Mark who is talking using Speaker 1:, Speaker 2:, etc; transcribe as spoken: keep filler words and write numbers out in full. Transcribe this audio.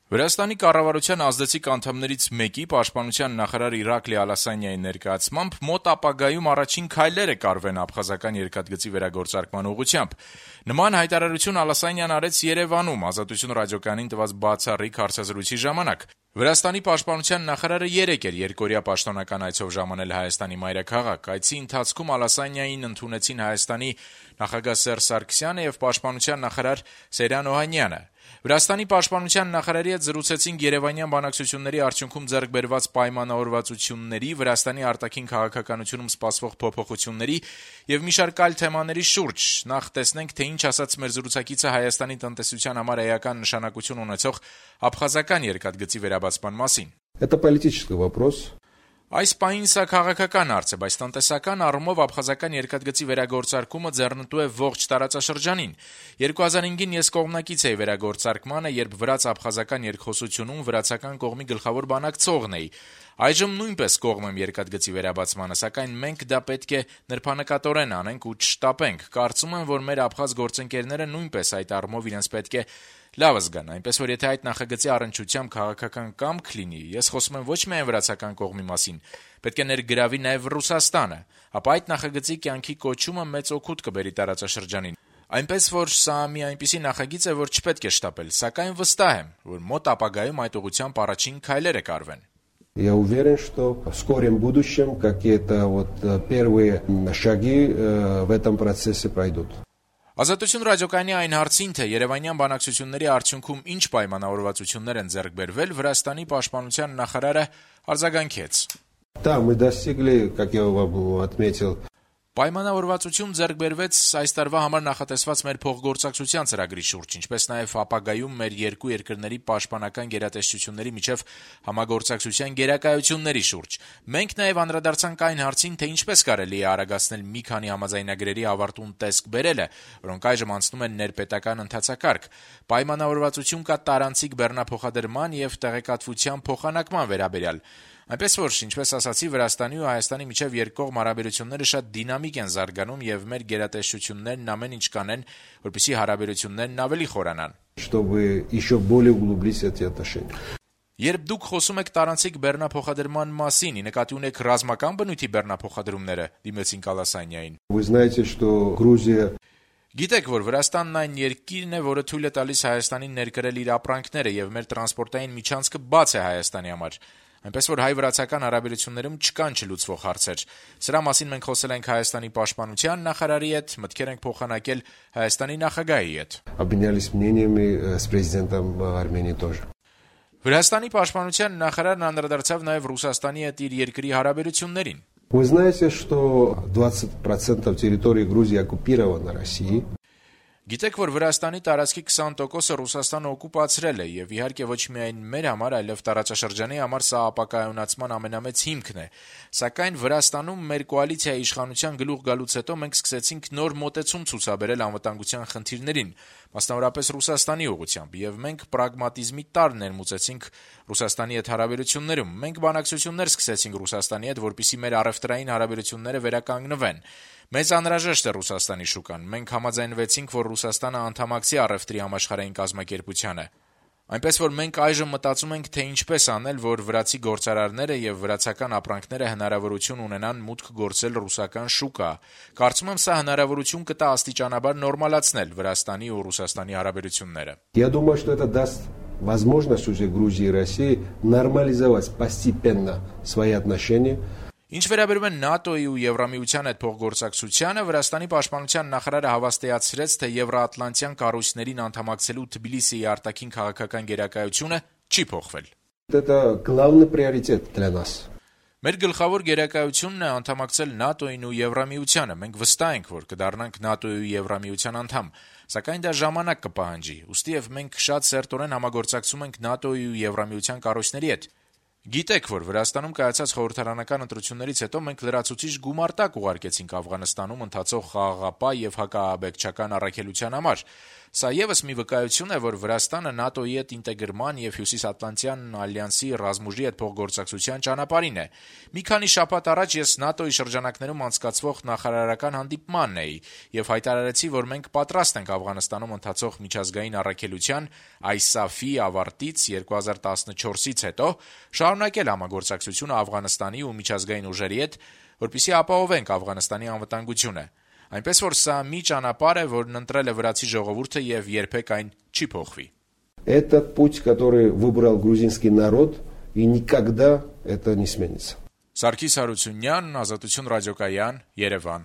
Speaker 1: Վրաստանի կառավարության ազդեցիկ անդամներից մեկի պաշտպանության նախարար Իրակլի Ալասանյանի ներկայացմամբ մոտ ապագայում առաջին քայլերը կարվեն աբխազական երկաթգծի վերագործարկման ուղղությամբ։ Նման հայտարարություն Ալասանյան արեց Երևանում «Ազատություն» ռադիոկայանին տված բացառիկ հարցազրույցի ժամանակ։ Վրաստանի պաշտպանության նախարարը երեկ էր երկօրյա պաշտոնական այցով ժամանել Հայաստանի մայրաքաղաք։ Այցի ընթացքում Ալասանյանին ընդունեցին Հայաստանի նախագահ Սերժ Սարգսյանը եւ պաշտպանության նախարար Սեյրան Օհանյանը։ Վրաստանի պաշտպանության նախարարի հետ զրուցեցինք երևանյան բանակցությունների արդյունքում ձեռք բերված պայմանավորվածությունների, Վրաստանի արտաքին քաղաքականությունում սպասվող փոփոխությունների եւ մի շարք այլ թեմաների շուրջ։ Նախ տեսնենք, թե ինչ ասաց մեր զրուցակիցը Հայաստանի տնտեսության համար էական նշանակություն ունեցող աբխազական երկաթգծի վերաբացման մասին։
Speaker 2: Это политический вопрос.
Speaker 1: Այս պահին սա քաղաքական հարց է, բայց տնտեսական առումով աբխազական երկաթգծի վերագործարկումը ձեռնտու է ողջ տարածաշրջանին։ երկու հազար հինգին ես կողմնակից էի վերագործարկմանը, երբ վրաց-աբխազական երկխոսությունում վրացական կողմի գլխավոր բանակցողն էի։ Այժմ նույնպես կողմ եմ երկաթգծի վերաբացմանը, սակայն մենք դա պետք է նրբանկատորեն անենք ու չշտապենք։ Կարծում եմ, որ մեր աբխազ գործընկերները նույնպես այդ առումով իրենց պետք է լավ զգան, այնպես որ եթե այդ նախագծի առնչությամբ քաղաքական կամք լինի, ես խոսում եմ ոչ միայն վրացական կողմի մասին, պետք է ներգրավի նաև Ռուսաստանը, ապա այդ նախագծի կյանքի կոչումը մեծ օգուտ կբերի տարածաշրջանին։ Այնպես որ սա մի այնպիսի նախագիծ է, որ չպետք է շտապել, сакայն վստահ եմ, որ մոտ ապագայում այդ ուղղությամբ առաջին քայլերը կարվեն։
Speaker 2: Я уверен, что в скором будущем какие-то вот первые шаги в этом процессе пройдут.
Speaker 1: Ազատություն ռադիոկայանի այն հարցին, թե երևանյան բանակցությունների արդյունքում ինչ պայմանավորվածություններ են ձեռք բերվել, Վրաստանի պաշտպանության նախարարը արձագանքեց.
Speaker 2: Да, мы достигли, как я вам отметил,
Speaker 1: Պայմանավորվածություն ձեռք բերվեց այս տարվա համար նախատեսված մեր փոխգործակցության ծրագրի շուրջ, ինչպես նաև ապագայում մեր երկու երկրների պաշտպանական գերատեսչությունների միջև համագործակցության գերակայությունների շուրջ։ Մենք նաև անդրադարձանք այն հարցին, թե ինչպես կարելի է արագացնել մի քանի համաձայնագրերի ավարտուն տեսք բերելը, որոնք այժմ անցնում են ներպետական ընթացակարգ։ Պայմանավորվածություն կա տարանցիկ բեռնափոխադրման եւ տեղեկատվության փոխանակման վերաբերյալ։ Այնպես որ, ինչպես ասացի, Վրաստանի ու Հայաստանի միջև երկկողմ հարաբերությունները շատ դինամիկ են զարգանում եւ մեր գերատեսչություններն ամեն ինչ կանեն, որպեսզի հարաբերություններն ավելի խորանան։
Speaker 2: Чтобы еще более углубились эти отношения.
Speaker 1: Երբ դուք խոսում եք տարանցիկ բեռնափոխադրման մասին, նկատի ունեք ռազմական բնույթի բեռնափոխադրումները, դիմեցին Ալասանյանին։
Speaker 2: Вы знаете, что Грузия
Speaker 1: Գիտեք, որ Վրաստանն այն երկիրն է, որը թույլ է տալիս Հայաստանին ներկրել իր ապրանքները եւ մեր տրանսպորտային միջանցքը բաց է Հայաստանի համար։ Այնպես որ հայ-վրացական հարաբերություններում չկան չլուծվող հարցեր։ Սրա մասին մենք խոսել ենք Հայաստանի պաշտպանության նախարարի հետ, մտքեր ենք փոխանակել Հայաստանի նախագահի հետ։
Speaker 2: обменялись мнениями с президентом Армении тоже.
Speaker 1: Վրաստանի պաշտպանության նախարարն անդրադարձավ նաև Ռուսաստանի հետ իր երկրի հարաբերություններին։
Speaker 2: Вы знаете, что двадцать процентов территории Грузии оккупировано Россией.
Speaker 1: Գիտեք, որ Վրաստանի տարածքի քսան տոկոսը Ռուսաստանը օկուպացրել է եւ իհարկե ոչ միայն մեր համար, այլև տարածաշրջանի համար սա ապակայունացման ամենամեծ հիմքն է։ Սակայն Վրաստանում մեր կոալիցիայի իշխանության գլուխ գալուց հետո մենք սկսեցինք նոր մոտեցում ցուցաբերել անվտանգության խնդիրներին, մասնավորապես Ռուսաստանի ուղղությամբ, եւ մենք պրագմատիզմի տար ներմուծեցինք Ռուսաստանի հետ հարաբերություններում։ Մենք բանակցություններ սկսեցինք Ռուսաստանի հետ, որպեսզի մեր առևտրային հարաբերությունները վերականգնվեն։ Մեզ անհրաժեշտ է Ռուսաստանի շուկան։ Մենք համաձայնվեցինք, որ Ռուսաստանը անդամակցի առևտրի համաշխարհային կազմակերպությանը։ Այնպես որ մենք այժմ մտածում ենք, թե ինչպես անել, որ վրացի գործարարները եւ врացական ապրանքները հնարավորություն ունենան մուտք գործել ռուսական շուկա։ Կարծում եմ, սա հնարավորություն կտա աստիճանաբար նորմալացնել Վրաստանի ու Ռուսաստանի հարաբերությունները։
Speaker 2: Я думаю, что это даст возможность уже Грузии и России нормализовать постепенно свои отношения.
Speaker 1: Ինչ վերաբերում է ՆԱՏՕ-ի ու Եվրամիության հետ փոխգործակցությանը, Վրաստանի պաշտպանության նախարարը հավաստիացրեց, թե Եվրաատլանտյան կառույցներին անդամակցելու Թբիլիսիի արտաքին քաղաքական գերակայությունը չի փոխվել։
Speaker 2: Это главный приоритет для нас.
Speaker 1: Մեր գլխավոր գերակայությունն է անդամակցել ՆԱՏՕ-ին ու Եվրամիությանը։ Մենք վստահ ենք, որ կդառնանք ՆԱՏՕ-ի ու Եվրամիության անդամ, սակայն դա ժամանակ կպահանջի։ Ուստիև մենք շատ սերտորեն համագործակցում ենք ՆԱՏՕ-ի ու Եվրամիության կառույցների հետ։ Գիտեք, որ Վրաստանում կայացած խորհրդարանական ընտրություններից հետո մենք լրացուցիչ գումարտակ ուղարկեցինք Աֆղանստանում ընթացող խաղաղապահ եւ հակաաբեկչական առաքելության համար։ Սա ևս մի վկայություն է, որ Վրաստանը ՆԱՏՕ-ի հետ ինտեգրման եւ Հյուսիսատլանտյան ալյանսի ռազմուժի հետ փոխգործակցության ճանապարհին է։ Մի քանի շաբաթ առաջ ես ՆԱՏՕ-ի շրջանակներում անցկացվող նախարարական հանդիպմանն էի եւ հայտարարեցի, որ մենք պատրաստ ենք Աֆղանստանում ընթացող միջազգային առաքելության ISAF-ի ավարտից երկու հազար տասնչորսից հետո շարունակել համագործակցությունը Աֆղանստանի ու միջազգային ուժերի հետ, որպեսզի ապահովենք Աֆղանստանի անվտանգությունը։ Այնպես որ սա մի ճանապարհ է, որն ընտրել է վրացի ժողովուրդը եւ երբեք այն չի փոխվի։
Speaker 2: Это путь, который выбрал грузинский народ, и никогда это не сменится.
Speaker 1: Սարգիս Հարությունյան, Ազատություն ռադիոկայան, Երևան։